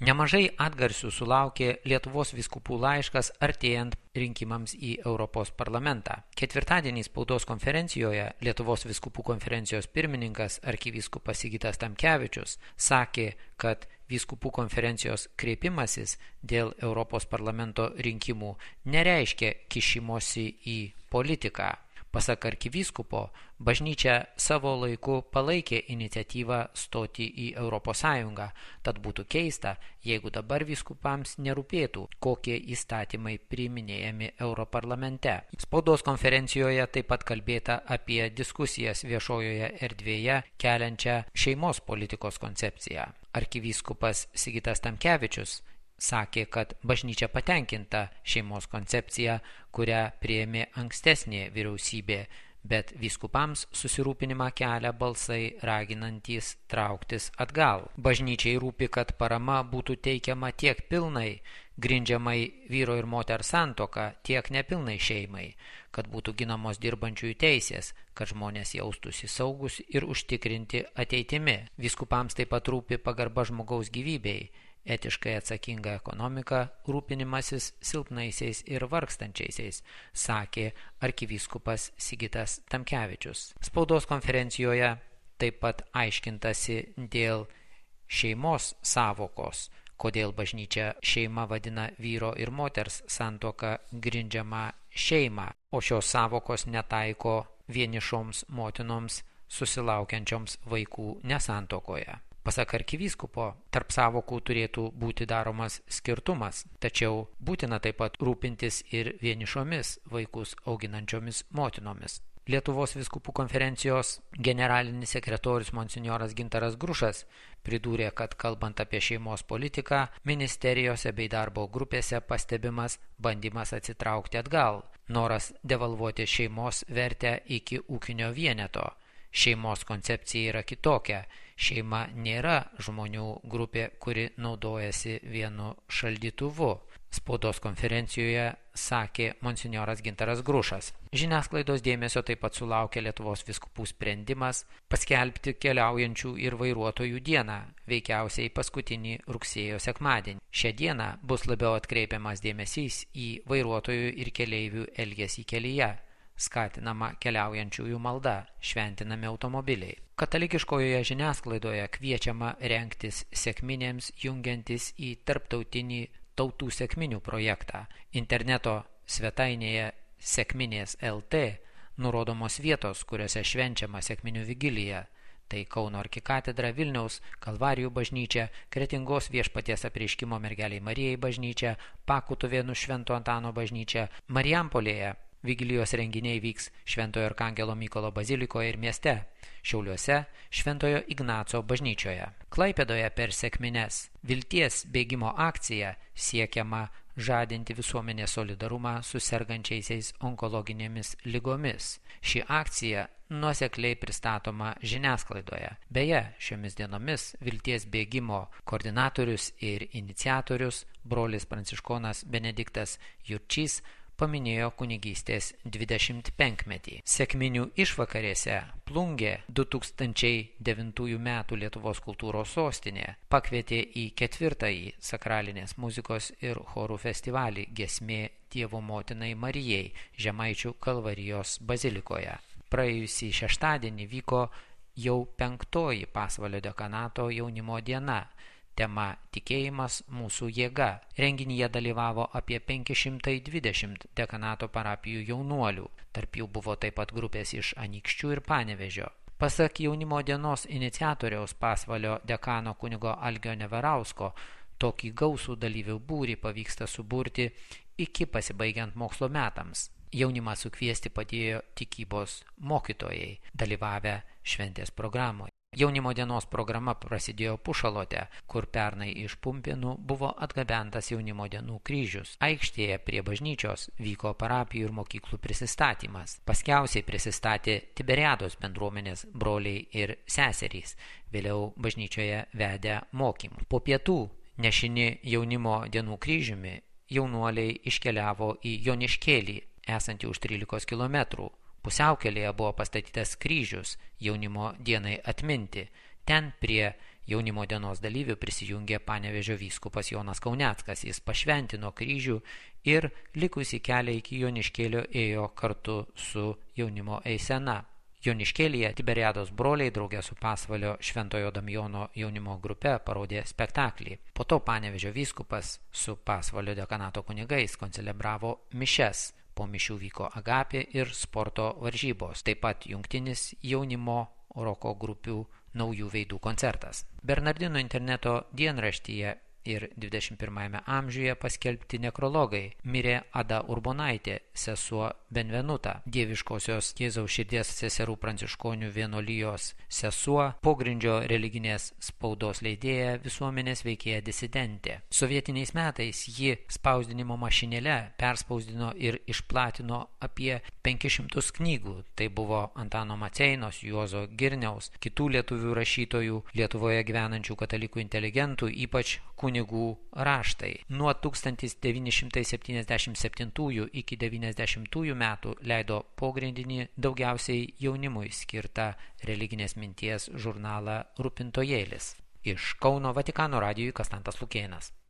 Nemažai atgarsių sulaukė Lietuvos vyskupų laiškas artėjant rinkimams į Europos parlamentą. Ketvirtadienį spaudos konferencijoje Lietuvos vyskupų konferencijos pirmininkas arkivyskupas Sigitas Tamkevičius sakė, kad vyskupų konferencijos kreipimasis dėl Europos parlamento rinkimų nereiškia kišimosi į politiką. Pasak arkivyskupo, bažnyčia savo laiku palaikė iniciatyvą stoti į Europos Sąjungą, tad būtų keista, jeigu dabar vyskupams nerūpėtų, kokie įstatymai priiminėjami Europarlamente. Spaudos konferencijoje taip pat kalbėta apie diskusijas viešojoje erdvėje keliančią šeimos politikos koncepciją. Arkivyskupas Sigitas Tamkevičius sakė, kad bažnyčia patenkinta šeimos koncepcija, kurią priėmė ankstesnė vyriausybė, bet vyskupams susirūpinimą kelia balsai raginantys trauktis atgal. Bažnyčiai rūpi, kad parama būtų teikiama tiek pilnai, grindžiamai vyro ir moters santuoka, tiek nepilnai šeimai, kad būtų ginamos dirbančiųjų teisės, kad žmonės jaustųsi saugus ir užtikrinti ateitimi. Vyskupams taip pat rūpi pagarba žmogaus gyvybei, etiškai atsakinga ekonomika, rūpinimasis silpnaisiais ir vargstančiaisiais, sakė arkivyskupas Sigitas Tamkevičius. Spaudos konferencijoje taip pat aiškintasi dėl šeimos sąvokos, kodėl bažnyčia šeima vadina vyro ir moters santuoką grindžiamą šeimą, o šios sąvokos netaiko vienišoms motinoms susilaukiančioms vaikų nesantuokoje. Pasak arkivyskupo, tarp sąvokų turėtų būti daromas skirtumas, tačiau būtina taip pat rūpintis ir vienišomis vaikus auginančiomis motinomis. Lietuvos vyskupų konferencijos generalinis sekretorius monsinjoras Gintaras Grušas pridūrė, kad kalbant apie šeimos politiką, ministerijose bei darbo grupėse pastebimas bandymas atsitraukti atgal, noras devalvuoti šeimos vertę iki ūkinio vieneto. Šeimos koncepcija yra kitokia. Šeima nėra žmonių grupė, kuri naudojasi vienu šaldytuvu. Spaudos konferencijoje sakė monsinjoras Gintaras Grušas. Žiniasklaidos dėmesio taip pat sulaukė Lietuvos vyskupų sprendimas paskelbti keliaujančių ir vairuotojų dieną, veikiausiai paskutinį rugsėjo sekmadienį. Šią dieną bus labiau atkreipiamas dėmesys į vairuotojų ir keleivių elgesį kelyje. Skatinama keliaujančiųjų malda, šventinami automobiliai. Katalikiškojoje žiniasklaidoje kviečiama rengtis sekminėms jungiantis į tarptautinį tautų sekminių projektą. Interneto svetainėje sekminės LT nurodomos vietos, kuriuose švenčiama sekminių vigilija. Tai Kauno arkikatedra, Vilniaus Kalvarijų bažnyčia, Kretingos Viešpaties apreiškimo mergeliai Marijai bažnyčia, Pakutuvėnų Švento Antano bažnyčia, Marijampolėje vigilijos renginiai vyks Šventojo Arkangelo Mykolo bazilikoje ir mieste, Šiauliuose Šventojo Ignaco bažnyčioje. Klaipėdoje per sekmines vilties bėgimo akcija siekiama žadinti visuomenės solidarumą su sergančiaisiais onkologinėmis ligomis. Ši akcija nuosekliai pristatoma žiniasklaidoje. Beje, šiomis dienomis vilties bėgimo koordinatorius ir iniciatorius, brolis pranciškonas Benediktas Jurčys, paminėjo kunigystės 25-metį. Sekminių išvakarėse Plungė 2009 metų Lietuvos kultūros sostinė pakvietė į 4. sakralinės muzikos ir chorų festivalį Giesmė Dievo motinai Marijai Žemaičių Kalvarijos bazilikoje. Praėjusį šeštadienį vyko jau 5. Pasvalio dekanato jaunimo diena. Tema Tikėjimas mūsų jėga. Renginyje dalyvavo apie 520 dekanato parapijų jaunuolių. Tarp jų buvo taip pat grupės iš Anykščių ir Panevėžio. Pasak jaunimo dienos iniciatoriaus Pasvalio dekano kunigo Algio Neverausko, tokį gausų dalyvių būrį pavyksta suburti iki pasibaigiant mokslo metams. Jaunimą sukviesti padėjo tikybos mokytojai, dalyvavę šventės programoje. Jaunimo dienos programa prasidėjo Pušalote, kur pernai iš Pumpėnų buvo atgabentas jaunimo dienų kryžius. Aikštėje prie bažnyčios vyko parapijų ir mokyklų prisistatymas. Paskiausiai prisistatė Tiberiados bendruomenės broliai ir seserys, vėliau bažnyčioje vedę mokymų. Po pietų nešini jaunimo dienų kryžiumi jaunuoliai iškeliavo į Joniškėlį, esantį už 13 kilometrų. Pusiaukelėje buvo pastatytas kryžius jaunimo dienai atminti. Ten prie Jaunimo dienos dalyvių prisijungė Panevėžio vyskupas Jonas Kauneckas. Jis pašventino kryžių ir likusį kelią iki Joniškėlio ėjo kartu su jaunimo eisena. Joniškėlyje Tiberiados broliai draugė su Pasvalio Šventojo Damijono jaunimo grupe parodė spektaklį. Po to Panevėžio vyskupas su Pasvalio dekanato kunigais koncelebravo mišes. Po mišių vyko agapė ir sporto varžybos, taip pat jungtinis jaunimo roko grupių naujų veidų koncertas. Bernardinų interneto dienraštyje ir 21 amžiuje paskelbti nekrologai. Mirė Ada Urbonaitė, sesuo Benvenuta, Dieviškosios Jėzaus širdies seserų pranciškonių vienuolijos sesuo, pogrindžio religinės spaudos leidėja, visuomenės veikėja disidentė. Sovietiniais metais ji spausdinimo mašinėle perspausdino ir išplatino apie 500 knygų. Tai buvo Antano Maceinos, Juozo Girniaus, kitų lietuvių rašytojų, Lietuvoje gyvenančių katalikų inteligentų, ypač kunigų raštai. Nuo 1977 iki 1990 metų leido pogrindinį daugiausiai jaunimui skirtą religinės minties žurnalą Rūpintojėlis. Iš Kauno Vatikano radijui Kastantas Lukėnas.